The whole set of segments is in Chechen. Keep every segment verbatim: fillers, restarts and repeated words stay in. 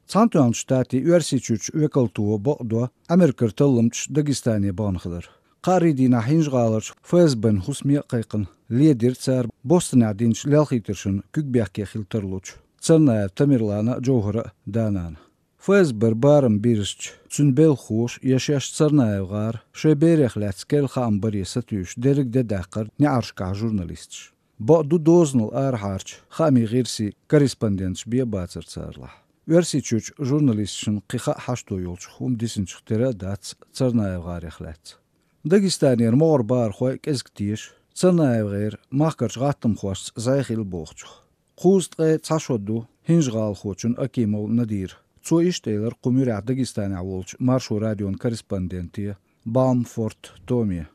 Цхьаьнатоьхначу Штатийн Оьрсийчуьрчу векалто бакъдо Америкера талламчаш Дагестане бахана хилар. Кхаарин дийнахь ХӀинжа-ГӀаларчу ФСБ-н хӀусаме а кхайкхина, ледира цара Бостонехь динчу лелхийтаршна куьг бехке хила тарлучу Царнаев Тамерлана а, Джовхара а да-нана. ФСБ-ра барам бирзича, цуьнан белхахоша я шаьш Царнаев гӀара, шайн берех лаьцна керла хаам баре сатуьйсуш дерриг де даьккхира неӀаршкахь журналисташ. Бакъду, дозанал арахьарчу хаамийн гӀирсийн корреспонденташ бен а бацара царалахь. Оьрсийчуьрчу журналисташна кхин хаа хьашто йолчух хӀума дисинчух тера а дац Царнаев гӀарех лаьцна. Дагестанера могӀара бахархой кӀезиг теша ЦарнаевгӀеран махкарчу гӀаттамхошца зӀе хилла бохучух. Кхузткъе цхьа шо ду ХӀинжа-гӀалахочун Акимов Надиран. Цо иштта элира кху муьрехь Дагестанехь волчу Маршо радион корреспонденте Баумфорт Томе.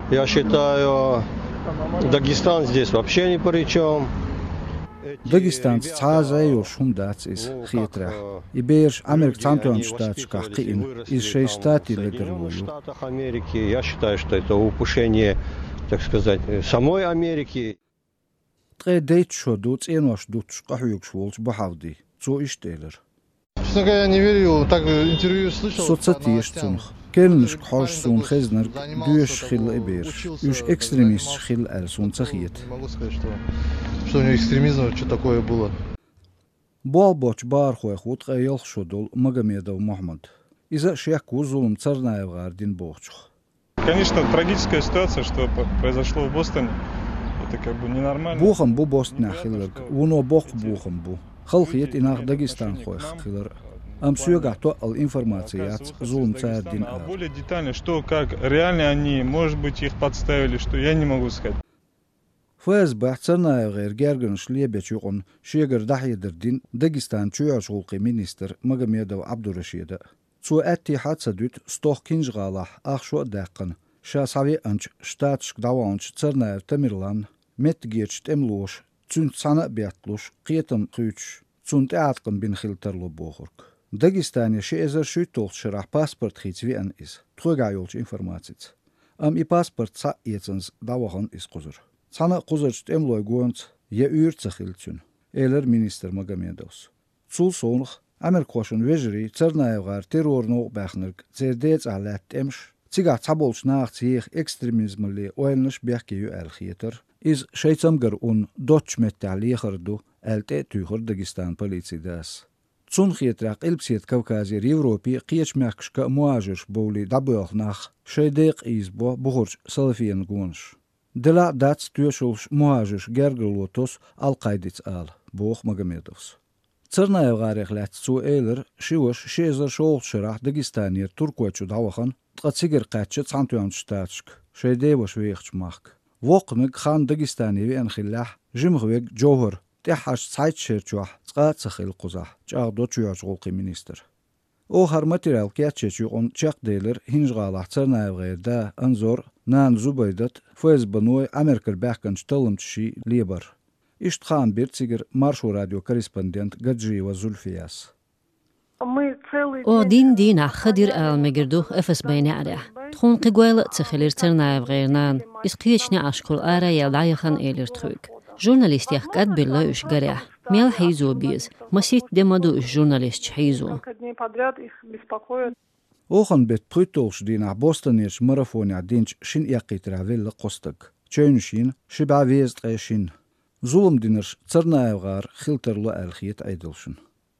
Я считаю, Дагестан здесь вообще ни при чем. Дагестанца цхьа а зӀе йолуш хӀума дац иза, хетарехь. И бераш Америкин Цхьаьнатоьхначу Штаташкахь кхиъна, иза шайн штатийн ледарло ю. Штатах Америки. Я считаю, что это упущение, так сказать, самой Америки. Ткъе дейтта шо ду цӀенош дуттуш къахьоьгуш волчу Бахьавди. Цо иштта элира. Честно говоря, не верю. Так, интервью слышал. Со ца теша цунах. Керланашка хьожуш суна хезнарг доьшуш хилла и бераш. Уьш экстремисташ хилла аьлла суна ца хета. Не могу сказать, что, что у него экстремизм, что такое было. Болх боцчу бахархойх ву ткъе ялх шо долу Магомедов Мухьаммад. Иза а шек ву зулам Царнаев гӀара дина бохучух. Конечно, трагическая ситуация, что п-, произошло в Бостоне. Это как бы ненормально. Бохам бу Бостонехь хилларг, вуно боккха бохам бу. Халахета и нах дагестанхойх хилар. Амма соьгахь тоъал информаци яц, зулам цара дина ала. Более детально, что, как, реально они, может быть, их подставили, что, я не могу сказать. ФСБ-хь Царнаев гӀеран гергарнаш лебечу юкъана шегара дӀахьедар дина Дагестанан чоьхьарчу гӀуллакхийн министра Магомедов Ӏабдурашида. Цо аьттехьа а ца дуьту стохка ХӀинжа-ГӀалахь ах шо а даьккхина, ша схьавеанчу Штаташка дӀаваханчу Царнаев Тамерланна меттигерчу тӀемалоша, цуьнца цхьаьна а бетталуш, кхетам кхуьйсуш, цунна тӀеӀаткъам бина хила тарло бохург. Дагестане ши эзар шуьйтталгӀачу шарахь паспорт хийца веана иза, тхоьгахь йолчу информацица. Амма и паспорт схьа а эцанза дӀавахана иза кхузара. Цхьана а кхузарчу тӀемалойн гонца я уьйр а ца хилла цуьнан, элира министра Магомедовс. Цул совнаха, америкахошна вежарий Царнаев гӀара террор новкъа баьхнарг, церан ден цӀахь лаьтта тӀемаш, цигахь цхьаболчу нахаца еха экстремизмалле ойланаш бехке ю аьлла хетара, иза шайн цамгар унна доцчу меттехь лехар ду аьлла тӀе а туьйхира Дагестанан полицин дас. Цунна хетарехь, Къилбаседа Кавказера Европе а, кхечу мехкашка а мухӀажирш бовлий дӀабоьлху нах шайн декъа ийзабо бухарчу салафийн гонаш. Делахь а дац тоьшаллаш мухӀажирш гергарло тосу Ал-Къаидица ала, боху Магомедовс. Царнаев гӀарех лаьцна цо элира, ши ваша ши эзар шолгӀачу шарахь Дагестанера Туркойчу дӀавахана, ткъа цигара кхаьчча Цхьаьнатоьхначу Штаташка, шайн ден ваша вехачу махка. Воккханиг хан Дагестане веана хиллехь, жимах верг Джовхар тӀаьххьарчу цхьайтта шерачохь цкъа а ца хилла кхузахь, чӀагӀдо чоьхьарчу гӀуллакхийн министра. Оха хӀара материал кечъечу юкъана чекхделира ХӀинжа-ГӀалахь Царнаев гӀеран да Анзор а, нана Зубайдат а, ФСБ-ной, Америкара баьхкинчу талламчаший лебар. Иштта хаам бира цигара Маршо радион корреспондента Гаджиева Зульфияс. Оха дийнна дийнахь ха дира ала мегар ду ФСБ-н неӀарехь. Тхуна кхин гойла а ца хилира Царнаев гӀеран нана. Иза кхечу неӀаршкахула ара а яьлла дӀаяхана, элира тхоьга. Журналистех кӀадбелла уьш гарехь. Мел хьийзо беза? Масийтта де ма ду уьш журналисташ хьийзо. Оханан беттан пхуьйтталгӀачу дийнахь Бостонерчу марафонехь динчу шина эккхийтарехь велла кхо стаг. Чевнаш йина, ши бӀе везткъе шина. Зулам динарш Царнаев гӀара хила тарло аьлла хета Ӏедалшна.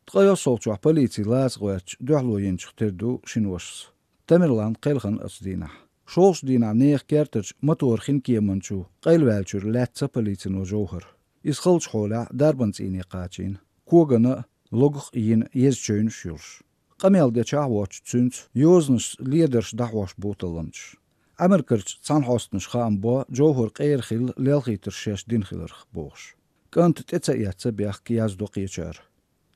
Ткъе йоьссалгӀачохь полици лаца гӀоьртича дуьхьало йинчух тера ду шина вашас. Тамерлан кхелхина оцу дийнахь. ШолгӀачу дийнахь нехан кертарчу мотор-хинкеман чу къайлаваьллачуьра лаьцна полицино Джовхар. Иза халчу хьолехь дарбан цӀийне кхачийна, когана а, логах а йина еза чевнаш йолуш. Къамел дечахь а воцчу цуьнца йозанашца ледарш дӀахьош бу талламчаш. Америкарчу цхьаьнахьостанаша хаам бо Джовхар къера хилла лелхийтарш шаьш дина хиларх, бохуш. КӀанта тӀе ца эцна бехк, яздо кхечара.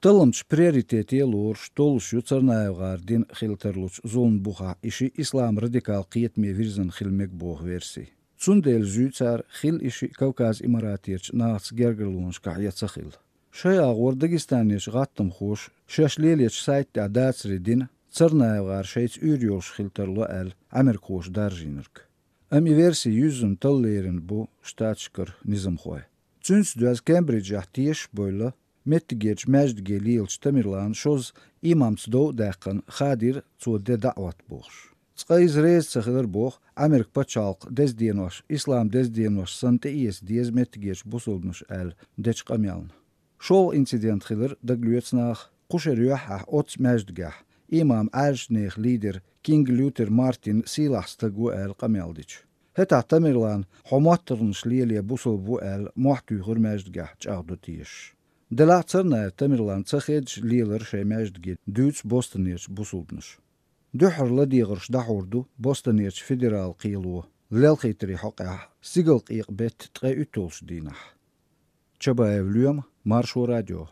Талламчаш приоритете а лоруш, толлуш ю Царнаев гӀара дина хила тарлучу зуламан бухахь и шиъ ислам радикал кхетаме вирзина хила мега боху верси. Цундела зуьй цара хилла и шиъ Кавказ Имаратерчу нахаца гергарлонашкахь я ца хилла. Шайн агӀор Дагестанерчу гӀаттамхоша шаьш лелочу сайта тӀехь дацаре дина, Царнаев гӀара шайца уьйр йолуш хила тарло аьлла, америкахоша даржийнарг. Амма и верси юьззина талла лерина бу Штаташкара низамхой. Цуьнца доьзна Кембриджехь тешаш а бевлла, Меттигерчу маьждиге лелачу Тамерлана шозза имамца дов а даьккхина, хадийра цо де даӀват бохуш. Цкъа иза реза ца хилар боху Ӏамеркан пачхьалкхан деза денош, ислам деза денош санна тӀеэца деза меттигерчу бусалбанаша аьлла дечу къамелна. ШолгӀа инцидент хилар, дагалоьцу наха, кху шеран юьххьехь оццу маьждигехь, имам Ӏаьржачу нехан лидер Кинг Лютер Мартин сийлахь стаг ву аьлла къамел дича. ХӀетахь Тамерлана хьо моттаргӀанаш лело бусалба ву аьлла мохь туьйхира маьждигехь чӀагӀдо тешаш. Делахь а Царнаев Тамерлана ца хедаш лелара шайн маьждиге, дуьйцу Бостонерчу бусалбанаша. Дуьххьара ладегӀарш дӀахьур ду Бостонерчу федералан кхело лелхийтарийн хьокъехь стигалкъекъа беттан ткъе уьтталгӀачу дийнахь. Чабаев Лоьма, Маршо радио.